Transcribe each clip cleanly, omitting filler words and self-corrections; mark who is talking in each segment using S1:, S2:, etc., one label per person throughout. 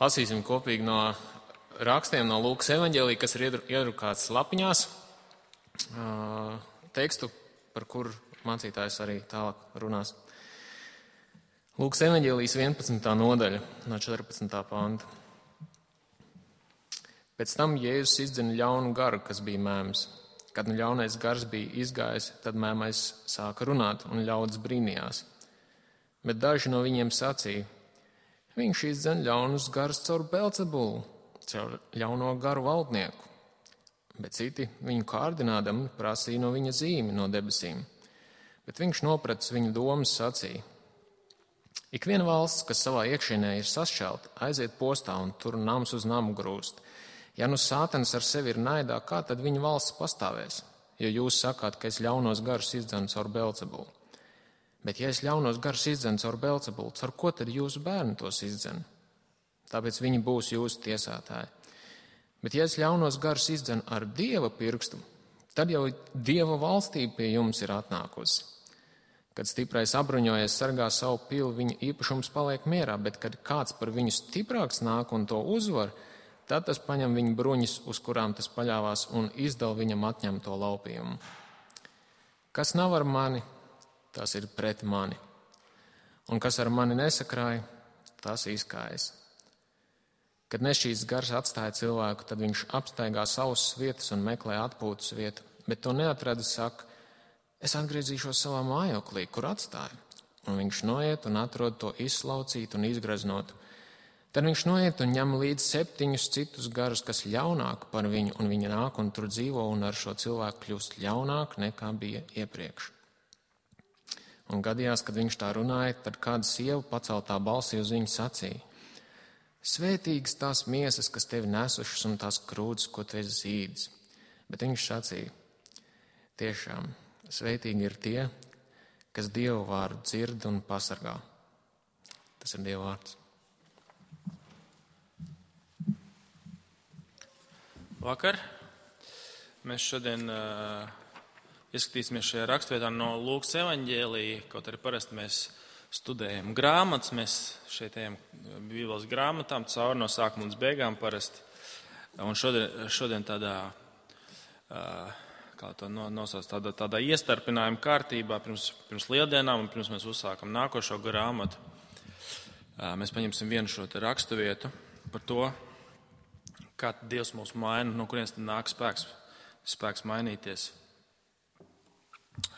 S1: Lasīsim kopīgi no rakstiem no Lūkas evaņģēlija, kas ir iedrukāts lapiņās, tekstu, par kuru mācītājs arī tālāk runās. Lūkas evaņģēlijas 11. nodaļa no 14. panta. Pēc tam Jēzus izdzina ļaunu garu, kas bija mēms. Kad ļaunais gars bija izgājis, tad mēmais sāka runāt un ļaudis brīnījās. Bet daži no viņiem sacīja: viņš izdzen ļaunus garus caur Belcebulu, caur ļauno garu valdnieku. Bet citi viņu kārdinādami prasīja no viņa zīmi no debesīm. Bet viņš nopratis viņu domas, sacīja: ik viena valsts, kas savā iekšienē ir sašķelta, aiziet postā un tur nams uz namu grūst. Ja nu sātans ar sevi ir naidā, kā tad viņa valsts pastāvēs? Jo jūs sakāt, ka es ļaunos garus izdzenu caur Belcebulu. Bet ja es ļaunos garus izdzenu caur Belcebulu, caur ko tad jūsu bērni tos izdzen? Tāpēc viņi būs jūsu tiesātāji. Bet ja es ļaunos garus izdzenu ar Dieva pirkstu, tad jau Dieva valstība pie jums ir atnākusi. Kad stiprais apbruņojies sargā savu pili, viņa īpašums paliek mierā, bet kad kāds par viņu stiprāks nāk un to uzvar, tad tas paņem viņa bruņas, uz kurām tas paļāvās, un izdala viņam atņemto laupījumu. Kas nav ar mani, tas ir pret mani, un kas ar mani nesakrāja, tas izkājas. Kad nešķīsts gars atstāja cilvēku, tad viņš apstaigā savas vietas un meklē atpūtas vietu, bet to neatrada, saka: es atgriezīšos savā mājoklī, kur atstāju. Un viņš noiet un atrod to izslaucītu un izgraznotu. Tad viņš noiet un ņem līdz 7 citus garus, kas ļaunāk par viņu, un viņi nāk un tur dzīvo, un ar šo cilvēku kļūst ļaunāk nekā bija iepriekš. Un gadījās, kad viņš tā runāja, tad kāda sieva paceltā balsī uz viņu sacīja: svētīgas tās miesas, kas tevi nesušas, un tās krūtis, ko tu esi zīdis. Bet viņš sacīja: tiešām, svētīgi ir tie, kas Dievu vārdu dzird un pasargā. Tas ir Dieva vārds.
S2: Vakar. Mēs šodien ieskatīsimies šajā rakstvietā no Lūkas evaņģēlija, kaut arī parasti mēs studējam grāmatas, mēs šeit ejam Bībeles grāmatām cauri no sākuma līdz beigām parasti. Un šodien tādā, kā to nosauc, tādā iestarpinājuma kārtībā pirms lieldienām un pirms mēs uzsākam nākošo grāmatu. Mēs paņemsim vienu šo te rakstu vietu par to, kā Dievs mūs maina, no kurienes tad nāk spēks mainīties.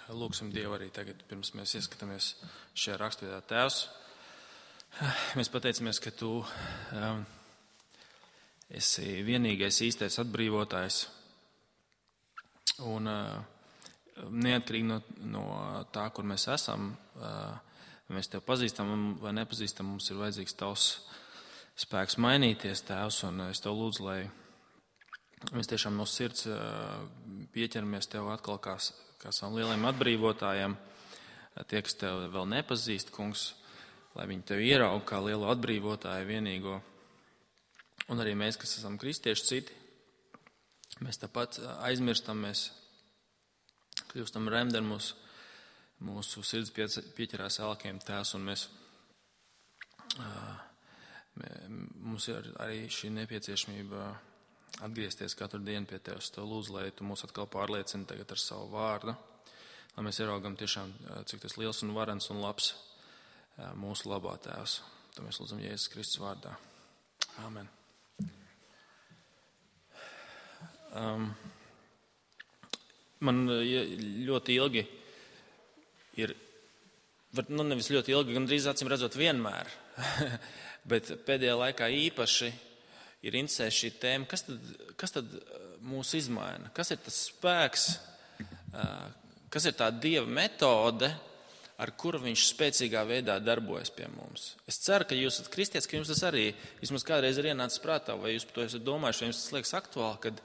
S2: Lūksim Dievu arī tagad, pirms mēs ieskatāmies šajā rakstvietā. Tēvs, mēs pateicamies, ka Tu esi vienīgais īstais atbrīvotājs. Un neatkarīgi no tā, kur mēs esam, mēs Tev pazīstam vai nepazīstam, mums ir vajadzīgs Tavs spēks mainīties, Tēvs, un es Tev lūdzu, lai mēs tiešām no sirds pieķeramies Tev atkal kā savam lielajiem atbrīvotājiem. Tie, kas Tev vēl nepazīst, Kungs, lai viņi Tev ieraug kā lielo atbrīvotāju vienīgo. Un arī mēs, kas esam kristieši citi, mēs tāpat aizmirstam, mēs kļūstam remdeni, mūsu sirds pieķerās elkiem, Tēvs, un mums ir arī šī nepieciešamība atgriezties katru dienu pie Tevis. Tev lūdzu, lai Tu mūs atkal pārliecini tagad ar savu vārdu, lai mēs ieraugam tiešām, cik tas liels un varens un labs mūsu labā, Tēvs. To mēs lūdzam Jēzus Kristus vārdā. Āmen. Man ļoti ilgi ir, nevis ļoti ilgi, gan drīz acīm redzot vienmēr, bet pēdējā laikā īpaši ir interesē šī tēma, kas tad mūs izmaina? Kas ir tas spēks, kas ir tā Dieva metode, ar kuru viņš spēcīgā veidā darbojas pie mums? Es ceru, ka jūs esat kristietis, ka jums tas arī vismaz kādreiz ir ienācis prātā, vai jūs par to esat domājuši, vai jums tas liekas aktuāli, kad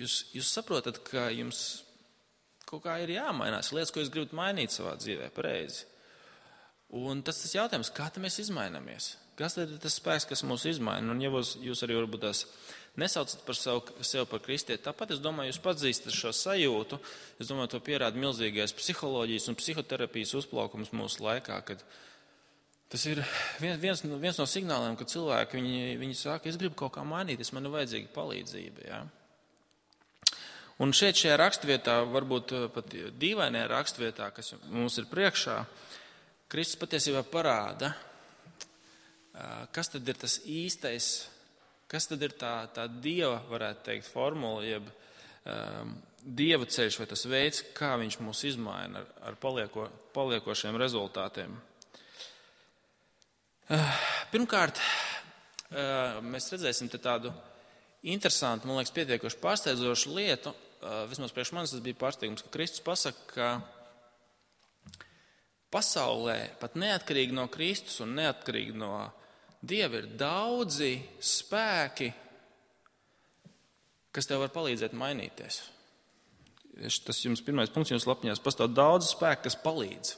S2: jūs saprotat, ka jums kaut kā ir jāmainās, lietas, ko jūs gribat mainīt savā dzīvē, pareizi. Un tas jautājums, kā tad mēs izmainamies? Kas tad ir tas spēks, kas mūs izmaina? Un ja jūs arī varbūt tās nesaucat par sevi par kristieti, tāpat es domāju, jūs pazīstat šo sajūtu. Es domāju, to pierāda milzīgais psiholoģijas un psihoterapijas uzplaukums mūsu laikā, kad Tas ir viens no signāliem, ka cilvēki viņi saka, es gribu kaut kā mainīties, man ir vajadzīga palīdzība. Ja? Un šajā raksturvietā, varbūt pat dīvainajā raksturvietā, kas mums ir priekšā, Kristus patiesībā parāda, kas tad ir tas īstais, kas tad ir tā Dieva, varētu teikt, formula, jeb Dieva ceļš vai tas veids, kā viņš mūs izmaina ar paliekošiem rezultātiem. Pirmkārt, mēs redzēsim tādu interesantu, man liekas, pietiekoši pārsteidzošu lietu. Vismaz priekš manis tas bija pārsteigums, ka Kristus pasaka, ka pasaulē, pat neatkarīgi no Kristus un neatkarīgi no Dieva, ir daudzi spēki, kas tev var palīdzēt mainīties. Tas jums pirmais punkts jums lapņās. Pastāv daudz spēku, kas palīdz.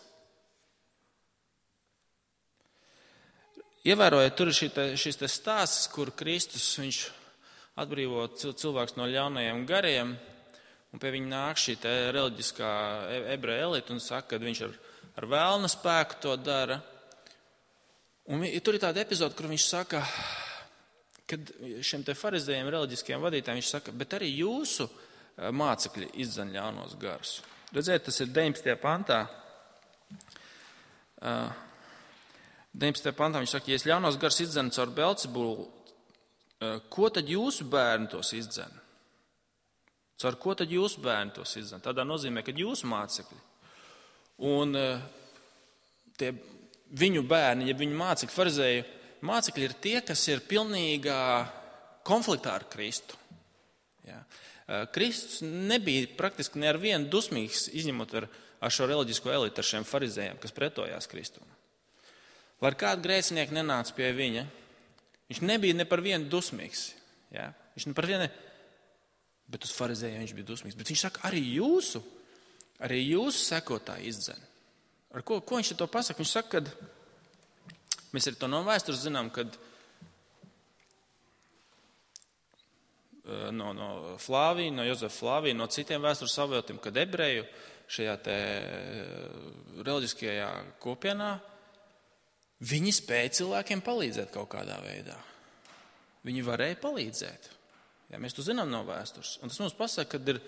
S2: Ievērojiet, tur ir šis stāsts, kur Kristus viņš atbrīvo cilvēks no ļaunajiem gariem, un pie viņa nāk šī reliģiskā ebreja elite un saka, ka viņš ar vēlna spēku to dara. Un tur ir tāda epizode, kur viņš saka, kad šiem te farizējiem, reliģiskajiem vadītājiem, viņš saka, bet arī jūsu mācekļi izdzen ļaunos garus. Redziet, tas ir 19. pantā. 19. pantā viņš saka, ja es ļaunos garus izdzenu caur Belcebulu, ko tad jūsu bērni tos izdzen? Caur ko tad jūsu bērni tos izdzen? Tādā nozīmē, ka jūsu mācekļi. Un tie viņu bērni, ja viņu mācekļi, farizēju mācekļi ir tie, kas ir pilnīgā konfliktā ar Kristu. Ja. Kristus nebija praktiski ne ar vienu dusmīgs, izņemot ar šo reliģisko elitu, ar šiem farizējiem, kas pretojās Kristum. Lai kādu grēcinieku nenāca pie viņa, viņš nebija ne par vienu dusmīgs. Ja? Viņš ne par vienu, bet uz farizējiem viņš bija dusmīgs. Bet viņš saka, arī jūsu sekotāji izdzen. Ar ko viņš to pasaka? Viņš saka, ka mēs arī to no vēstures zinām, kad no Flāvija, no Jozefa Flāvija, no citiem vēstures avotiem, kad ebreju šajā te reliģiskajā kopienā viņi spēja cilvēkiem palīdzēt kaut kādā veidā. Viņi varēja palīdzēt. Ja, mēs to zinām no vēstures. Un tas mums pasaka, ka ir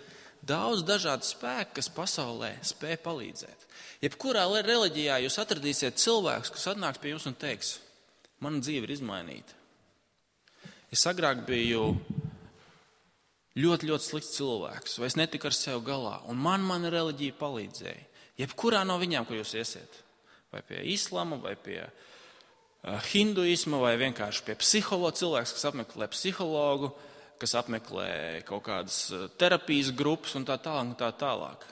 S2: daudz dažādu spēku, kas pasaulē spēja palīdzēt. Jebkurā reliģijā jūs atradīsiet cilvēkus, kas atnāks pie jums un teiks, mana dzīve ir izmainīta. Es agrāk biju ļoti, ļoti slikts cilvēks, vai es netiku ar sevi galā, un mana reliģija palīdzēja. Jebkurā no viņām, kur jūs iesiet. Vai pie islama, vai pie hinduisma, vai vienkārši pie psihologa cilvēks, kas apmeklē psihologu, kas apmeklē kaut kādas terapijas grupas un tā tālāk un tā tālāk.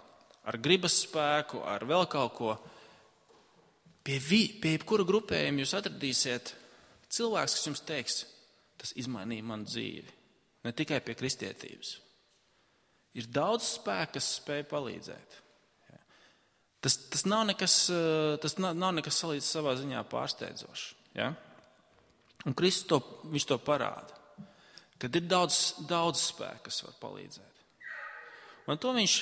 S2: Ar gribas spēku, ar vēl kaut ko. Pie jebkura grupējuma jūs atradīsiet cilvēks, kas jums teiks, tas izmainīja manu dzīvi. Ne tikai pie kristietības. Ir daudz spēku, kas spēj palīdzēt. Tas nav nekas salīdz savā ziņā pārsteidzošs. Ja? Un Kristus viņš to parāda, kad ir daudz spēku, kas var palīdzēt. Un to viņš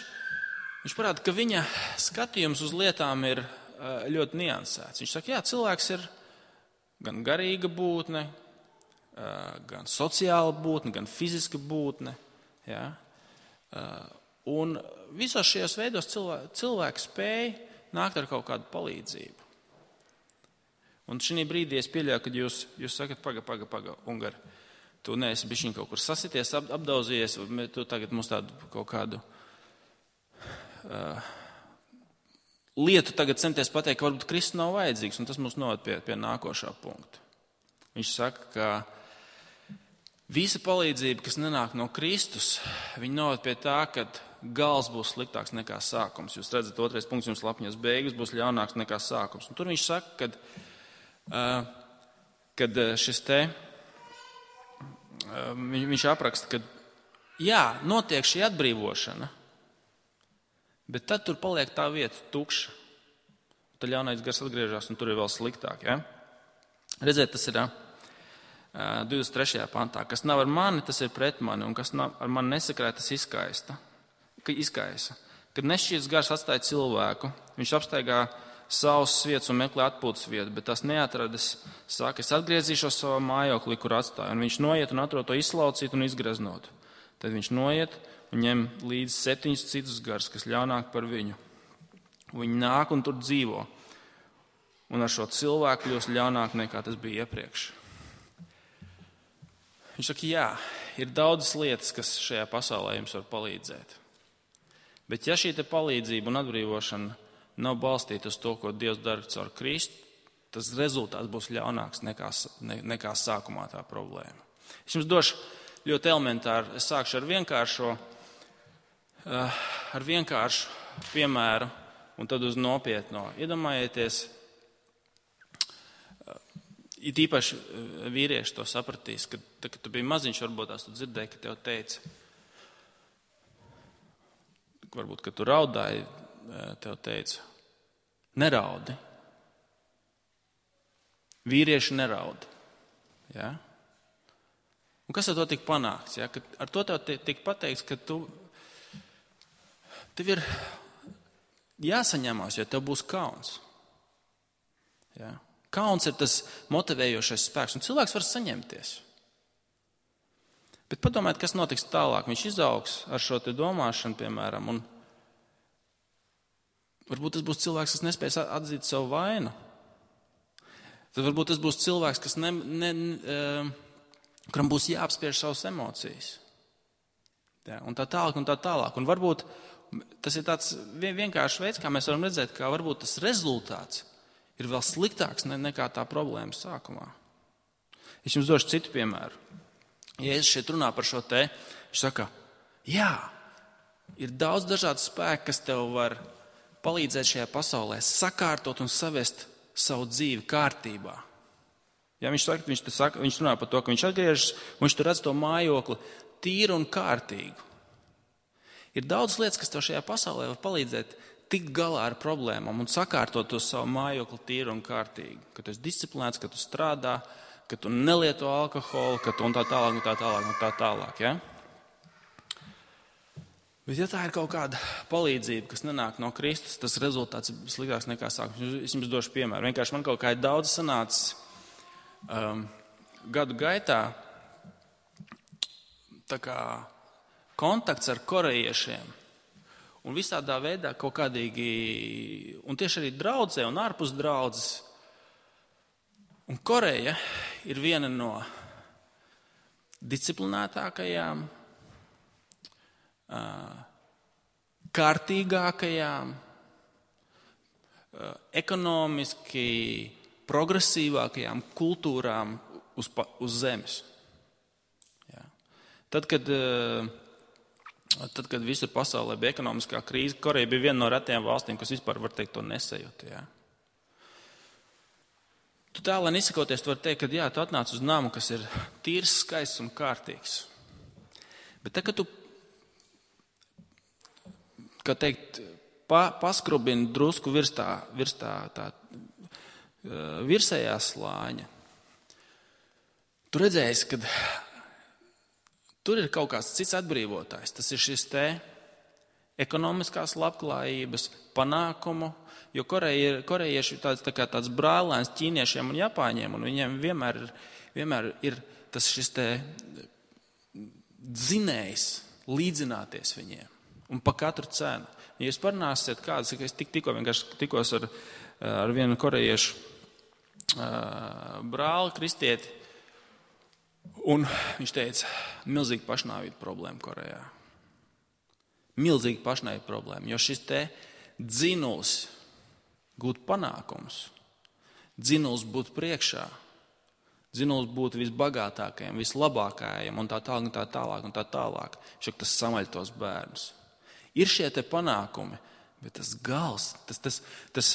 S2: parāda, ka viņa skatījums uz lietām ir ļoti niansēts. Viņš saka, jā, cilvēks ir gan garīga būtne, gan sociāla būtne, gan fiziska būtne. Ja? Un visos šajos veidos cilvēks spēja nākt ar kaut kādu palīdzību. Un šī brīdī es pieļauju, kad jūs sakat, paga, Ungari, tu neesi bišķiņ kaut kur sasities, apdauzījies, tu tagad mums tādu kaut kādu lietu tagad centies pateikt, ka varbūt Kristus nav vajadzīgs, un tas mums noved pie nākošā punkta. Viņš saka, ka visa palīdzība, kas nenāk no Kristus, viņa noved pie tā, ka gals būs sliktāks nekā sākums. Jūs redzat, 2. punkts jums lapņos, beigas būs ļaunāks nekā sākums. Un tur viņš saka, kad šis te, viņš apraksta, ka jā, notiek šī atbrīvošana, bet tad tur paliek tā vieta tukša. Tad ļaunais gars atgriežas un tur ir vēl sliktāk. Ja? Redziet, tas ir 23. pantā. Kas nav ar mani, tas ir pret mani, un kas ar mani nesakrāja, tas izkaisa. Kad nešķīts gars atstāja cilvēku, viņš apstaigā sausas vietas un meklē atpūtas vietu, bet tas neatradis, saka, es atgriezīšos savā mājoklī, kur atstāju. Un viņš noiet un atrod to izslaucīt un izgreznot. Tad viņš noiet un ņem līdzi 7 citus garus, kas ļaunāk par viņu. Viņi nāk un tur dzīvo. Un ar šo cilvēku kļūst ļaunāk nekā tas bija iepriekš. Viņš saka, jā, ir daudzas lietas, kas šajā pasaulē jums var palīdzēt. Bet ja šī te palīdzība un atbrīvošana nav balstīta uz to, ko Dievs dara caur Kristu, tas rezultāts būs ļaunāks nekā sākumā tā problēma. Es jums došu ļoti elementāri, es sākšu ar vienkāršu piemēru un tad uz nopietno. Iedomājieties, it īpaši vīrieši to sapratīs, kad tu biji maziņš, varbūt tās tu dzirdēji, ka tev teica, varbūt, kad tu raudāji, tev teica, neraudi. Vīrieši neraud. Ja? Un kas ar to tika panākts? Ja? Ar to tev tika pateikts, ka tev ir jāsaņemās, jo tev būs kauns. Ja? Kauns ir tas motivējošais spēks, un cilvēks var saņemties. Bet padomājiet, kas notiks tālāk. Viņš izaugs ar šo te domāšanu, piemēram, un varbūt tas būs cilvēks, kas nespēs atzīt savu vainu. Tad varbūt tas būs cilvēks, kas kuram būs jāapspiež savas emocijas. Ja, un tā tālāk, un tā tālāk. Un varbūt tas ir tāds vienkāršs veids, kā mēs varam redzēt, kā varbūt tas rezultāts ir vēl sliktāks nekā tā problēma sākumā. Es jums došu citu piemēru. Ja es šeit runā par šo te, viņš saka, jā, ir daudz dažādu spēku, kas tev var palīdzēt šajā pasaulē sakārtot un savest savu dzīvi kārtībā. Ja viņš runā par to, ka viņš atgriežas un viņš tur redz to mājokli tīru un kārtīgu. Ir daudz lietas, kas tev šajā pasaulē var palīdzēt tikt galā ar problēmām un sakārtot to savu mājokli tīru un kārtīgu. Ka tu esi disciplinēts, ka tu strādā, ka tu nelieto alkoholu, ka tu un tā tālāk, un tā tālāk, un tā tālāk. Ja? Bet ja tā ir kaut kāda palīdzība, kas nenāk no Kristus, tas rezultāts ir sliktāks nekā sākums. Es jums došu piemēru. Vienkārši man kaut kā ir daudz sanācis gadu gaitā tā kā kontakts ar korejiešiem. Un visādā veidā kaut kādīgi, un tieši arī draudzē un ārpus draudzes. Un Koreja ir viena no disciplinētākajām, kārtīgākajām, ekonomiski progresīvākajām kultūrām uz zemes. Ja. Tad, kad visur pasaulē bija ekonomiskā krīze, Koreja bija viena no retajām valstīm, kas vispār, var teikt, to nesajūta. Ja. Tu tālāk izsakoties, tu vari teikt, ka jā, tu atnāc uz namu, kas ir tīrs, skaists un kārtīgs. Bet tad, kad tu, kā teikt, paskrubini drusku virs tā virsējā slāņa, tu redzēsi, ka tur ir kaut kāds cits atbrīvotājs. Tas ir šis te ekonomiskās labklājības, panākumu, jo korejieši ir tāds brālēns ķīniešiem un japāņiem, un viņiem vienmēr ir tas šis te dzinējs līdzināties viņiem, un pa katru cenu. Ja jūs parunāsiet kādas, es tikko vienkārši tikos ar vienu korejiešu brāli, kristieti, un viņš teica, milzīgi pašnāvība problēma Korejā. Milzīgi pašnāvība problēma, jo šis te dzinuls gūt panākums, dzinuls būt priekšā, dzinuls būt visbagātākajam, vislabākajam un tā tālāk un tā tālāk. Tas samaļ tos bērnus. Ir šie te panākumi, bet tas gals, tas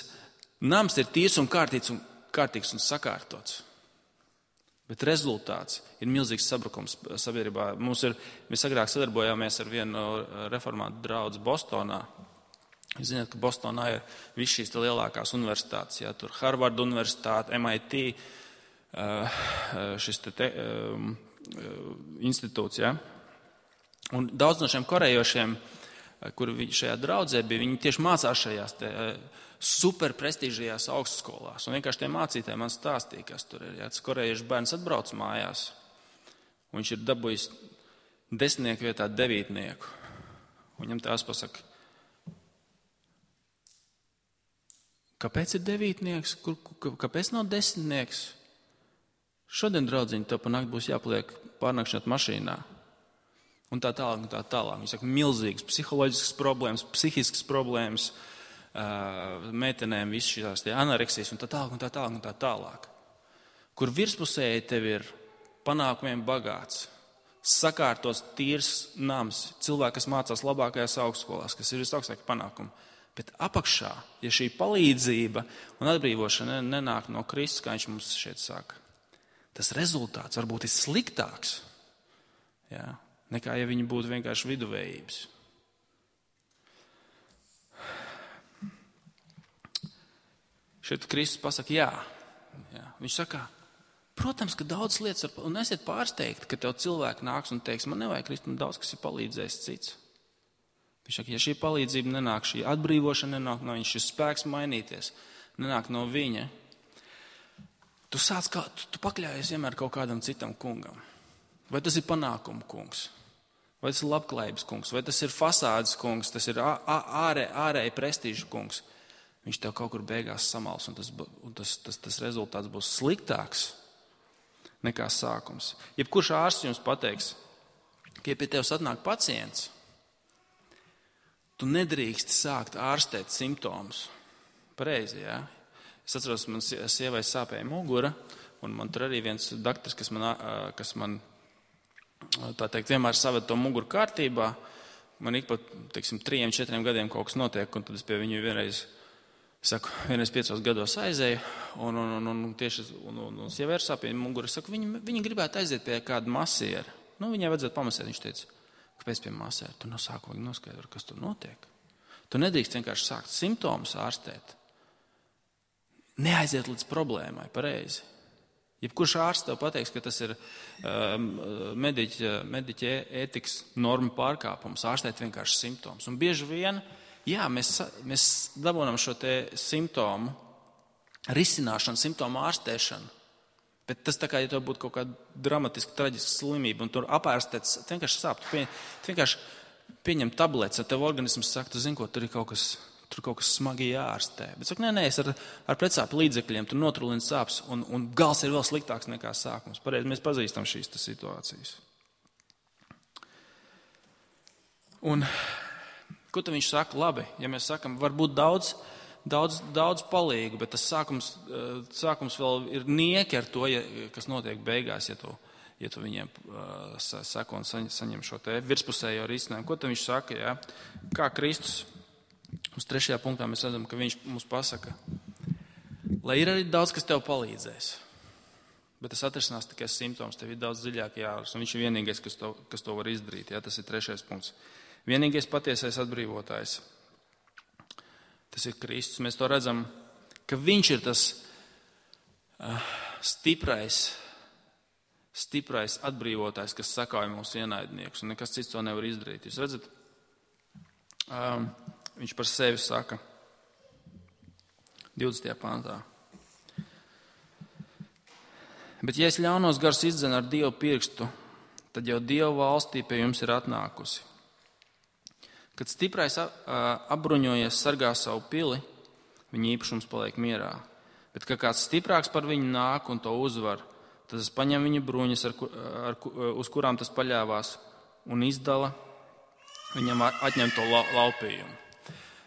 S2: nams ir tīrs un kārtīgs un sakārtots. Bet rezultāts ir milzīgs sabrukums sabiedrībā. Mēs agrāk sadarbojāmies ar vienu reformātu draudzi Bostonā. Jūs zināt, ka Bostonā ir viss šīs lielākās universitātes. Ja, tur Harvard universitāte, MIT, šis institūts. Ja. Un daudz no šiem korejošiem kur šajā draudzē bija, viņi tieši mācās šajās super prestīžajās augstskolās. Un vienkārši tie mācītāji man stāstīja, kas tur ir. Ja tas korejiešu bērns atbrauc mājās, un viņš ir dabūjis 10 vietā 9. Viņam tās pasaka, kāpēc ir 9? Kāpēc nav 10? Šodien, draudziņi, tev pa nakti būs jāpaliek pārnakšņot mašīnā. Un tā tālāk, un tā tālāk. Viņi saka, milzīgas psiholoģiskas problēmas, psihiskas problēmas, meitenēm viss šīs anoreksijas, un tā tālāk, un tā tālāk, un tā tālāk. Kur virspusēji tev ir panākumiem bagāts, sakārtos tīrs nams, cilvēki, kas mācās labākajās augstskolās, kas ir visaugstākie panākumi. Bet apakšā, ja šī palīdzība un atbrīvošana nenāk no Kristus, kā viņš mums šeit saka, tas rezultāts varbūt ir sliktāks, jā, nekā ja viņi būtu vienkārši viduvējības. Šeit Kristus pasaka, jā. Viņš saka, protams, ka daudz lietas, un esiet pārsteigti, ka tev cilvēki nāks un teiks, man nevajag Kristus, man daudz, kas ir palīdzējis cits. Viņš saka, ja šī palīdzība nenāk, šī atbrīvošana nenāk no viņa, šis spēks mainīties, nenāk no viņa, tu pakļājies vienmēr kaut kādam citam kungam. Vai tas ir panākumu kungs, vai tas ir labklājības kungs, vai tas ir fasādes kungs, tas ir ārēji prestīžu kungs. Viņš tev kaut kur beigās samals, un tas rezultāts būs sliktāks nekā sākums. Jebkurš ārsts jums pateiks, ka ja pie tevis atnāk pacients, tu nedrīkst sākt ārstēt simptomus. Pareizi, jā? Es atceros, man sievai sāpēja mugura, un man tur arī viens daktars, kas man tā teikt, vienmēr saved to muguru kārtībā. Man ik pa, 3-4 gadiem kaut kas notiek, un tad es pie viņu vienreiz 5 gados aizēju, un sievai ir sāpēja mugura. Es saku, viņa gribētu aiziet pie kāda masiera. Viņai vajadzētu pamasēt. Viņš teica, kāpēc pie masēra? Tu no sākuma noskaidro, kas tur notiek. Tu nedrīkst vienkārši sākt simptomus ārstēt. Neaiziet līdz problēmai, pareizi. Jebkurš ārsts tev pateiks, ka tas ir mediķa ētikas norma pārkāpums, ārstēt vienkārši simptomus. Un bieži vien, jā, mēs dabūnam šo te simptomu risināšanu, simptomu ārstēšanu, bet tas tā kā, ja tev būtu kaut kāda dramatiska, traģiska slimība, un tur apārstēts, vienkārši sāp, tu vienkārši pieņem tabletes, un tev organisms saka, tu zini, ko tur ir kaut kas smagi jāārstē. Bet saka, nē, es ar pretsāpju līdzekļiem tur notrulinu sāpes, un gals ir vēl sliktāks nekā sākums. Pareizi, mēs pazīstam šīs situācijas. Un ko tad viņš saka? Labi, ja mēs sakam, varbūt daudz palīgu, bet tas sākums vēl ir nieki ar to, kas notiek beigās, ja tu viņiem sako un saņem šo te virspusējo risinājumu. Ko tad viņš saka? Jā? Kā Kristus? Uz 3. punktā mēs redzam, ka viņš mums pasaka, lai ir arī daudz, kas tev palīdzēs, bet tas atrisinās tikai simptoms, tev ir daudz dziļāk jārasta, un viņš ir vienīgais, kas to var izdarīt. Jā, tas ir 3. punkts. Vienīgais patiesais atbrīvotājs. Tas ir Kristus. Mēs to redzam, ka viņš ir tas stiprais atbrīvotājs, kas sakauj mūsu ienaidniekus, un nekas cits to nevar izdarīt. Jūs redzat? Viņš par sevi saka 20. pantā. Bet ja es ļaunos garus izdzenu ar Dievu pirkstu, tad jau Dievu valstī pie jums ir atnākusi. Kad stiprais apbruņojies sargā savu pili, viņa īpašums paliek mierā. Bet, kad kāds stiprāks par viņu nāk un to uzvar, tad es paņemu viņa bruņas, uz kurām tas paļāvās, un izdala viņam atņemto laupījumu.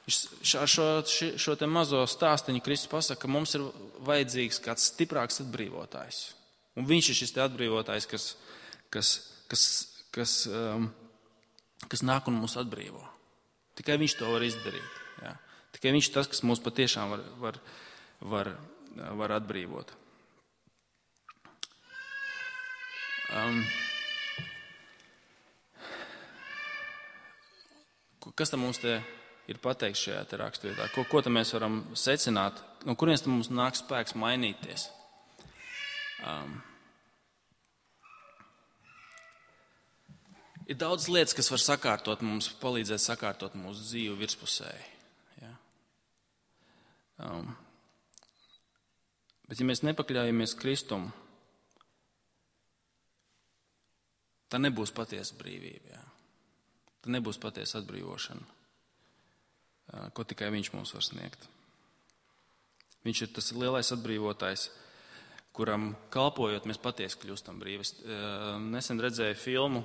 S2: Šo te mazo stāstiņu Kristus pasaka, ka mums ir vajadzīgs kāds stiprāks atbrīvotājs. Un viņš ir šis te atbrīvotājs, kas nāk un mūs atbrīvo. Tikai viņš to var izdarīt. Jā. Tikai viņš tas, kas mūs patiešām var atbrīvot. Kas tam mums te ir pateikts šajā te raksturvietā? Ko tam mēs varam secināt? No kurienes tam mums nāk spēks mainīties? Ir daudz lietas, kas var sakārtot mums, palīdzēt sakārtot mūsu dzīvi virspusēji. Ja? Bet ja mēs nepakļaujamies Kristum, tā nebūs patiesa brīvība. Ja? Tā nebūs patiesa atbrīvošana, ko tikai viņš mums var sniegt. Viņš ir tas lielais atbrīvotājs, kuram kalpojot mēs patiesi kļūstam brīvi. Es nesen redzēju filmu,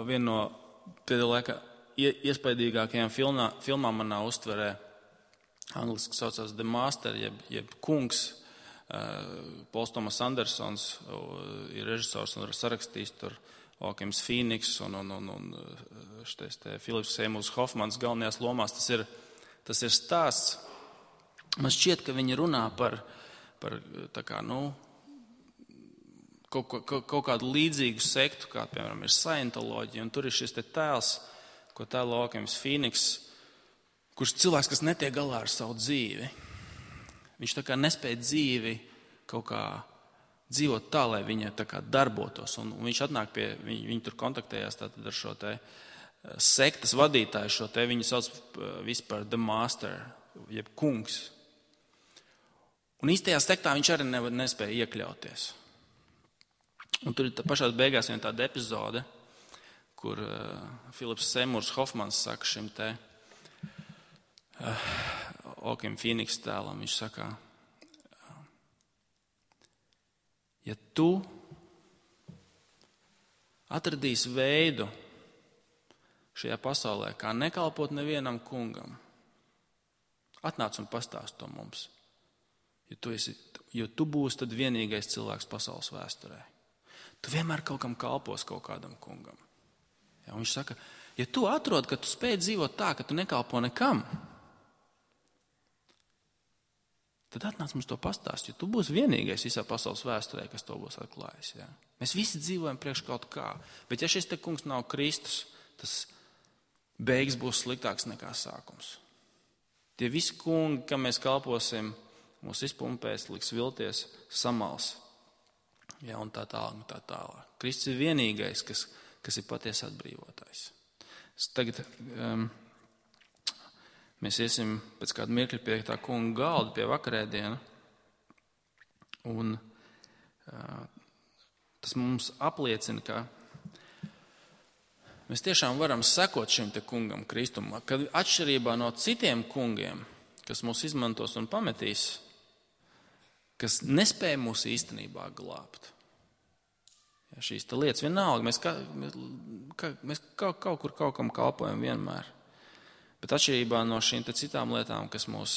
S2: vienu no pēdējā laika iespaidīgākajām filmām manā uztverē, angliski saucās The Master, jeb kungs. Pols Tomas Andersons ir režisors un sarakstījis tur Okims Fīniks un Filips Seymours Hofmans galvenajās lomās. Tas ir stāsts. Man šķiet, ka viņi runā par tā kā, kaut kādu līdzīgu sektu, kā, piemēram, ir Scientoloģija, un tur ir šis te tēls, ko tēlo Okims Fīniks, kurš cilvēks, kas netiek galā ar savu dzīvi. Viņš tā kā nespēja dzīvi kaut kā dzīvot tā, lai viņa tā kā darbotos. Un viņš atnāk pie, viņi tur kontaktējās tātad ar šo te sektas vadītāju, viņu sauc vispār The Master, jeb kungs. Un īstajā sektā viņš arī nespēja iekļauties. Un tur ir pašā beigās viena tāda epizode, kur Filips Seymours Hofmans saka šim te Okim Fīniks tēlam, viņš saka, ja tu atradīsi veidu šajā pasaulē, kā nekalpot nevienam kungam, atnāc un pastāst to mums, jo tu būsi tad vienīgais cilvēks pasaules vēsturē. Tu vienmēr kaut kam kalpos kaut kādam kungam. Ja, viņš saka, ja tu atrod, ka tu spēj dzīvot tā, ka tu nekalpo nekam, tad atnāc mums to pastāst, jo tu būsi vienīgais visā pasaules vēsturē, kas to būs atklājis. Ja? Mēs visi dzīvojam priekš kaut kā, bet ja šis te kungs nav Kristus, tas beigas būs sliktāks nekā sākums. Tie visi kungi, kam mēs kalposim, mūs izpumpēs, liks vilties, samals. Ja, un tā tālāk. Kristus ir vienīgais, kas ir patiesi atbrīvotājs. Tagad mēs iesim pēc kāda mirkļa pie tā kunga galda, pie vakarēdiena. Un tas mums apliecina, ka mēs tiešām varam sekot šim te kungam Kristum, ka atšķirībā no citiem kungiem, kas mūs izmantos un pametīs, kas nespēja mūs īstenībā glābt. Ja, šīs te lietas vienalga, mēs kaut kur kaut kam kalpojam vienmēr. Bet atšķirībā no šīm te citām lietām, kas mūs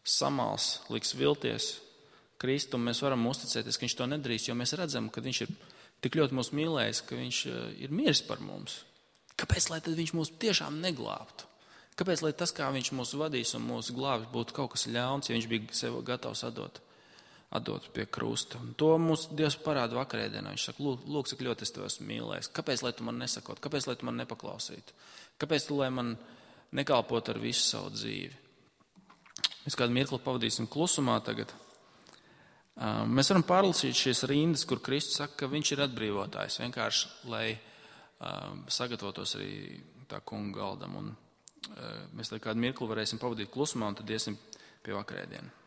S2: samals, liks vilties, Kristum, mēs varam uzticēties, ka viņš to nedarīs, jo mēs redzam, ka viņš ir tik ļoti mūs mīlējis, ka viņš ir miris par mums. Kāpēc, lai tad viņš mūs tiešām neglābtu? Kāpēc, lai tas, kā viņš mūs vadīs un mūs glābs, būtu kaut kas ļauns, ja viņš bija sev gatavs atdot pie krusta? Un to mums Dievs parāda vakarēdienā. Viņš saka, lūk, cik ļoti es tev esmu mīlējis. Kāpēc, lai tu man nesakot? Kāpēc, lai tu man nepaklausītu? Kāpēc, lai man nekalpot ar visu savu dzīvi? Mēs kādu mirkli pavadīsim klusumā tagad. Mēs varam pārlasīt šīs rindas, kur Kristus saka, ka viņš ir atbrīvotājs. Vienkārši, lai sagatavotos arī tā kunga galdam. Un mēs kādu mirkli varēsim pavadīt klusumā un tad iesim pie vakarēdienu.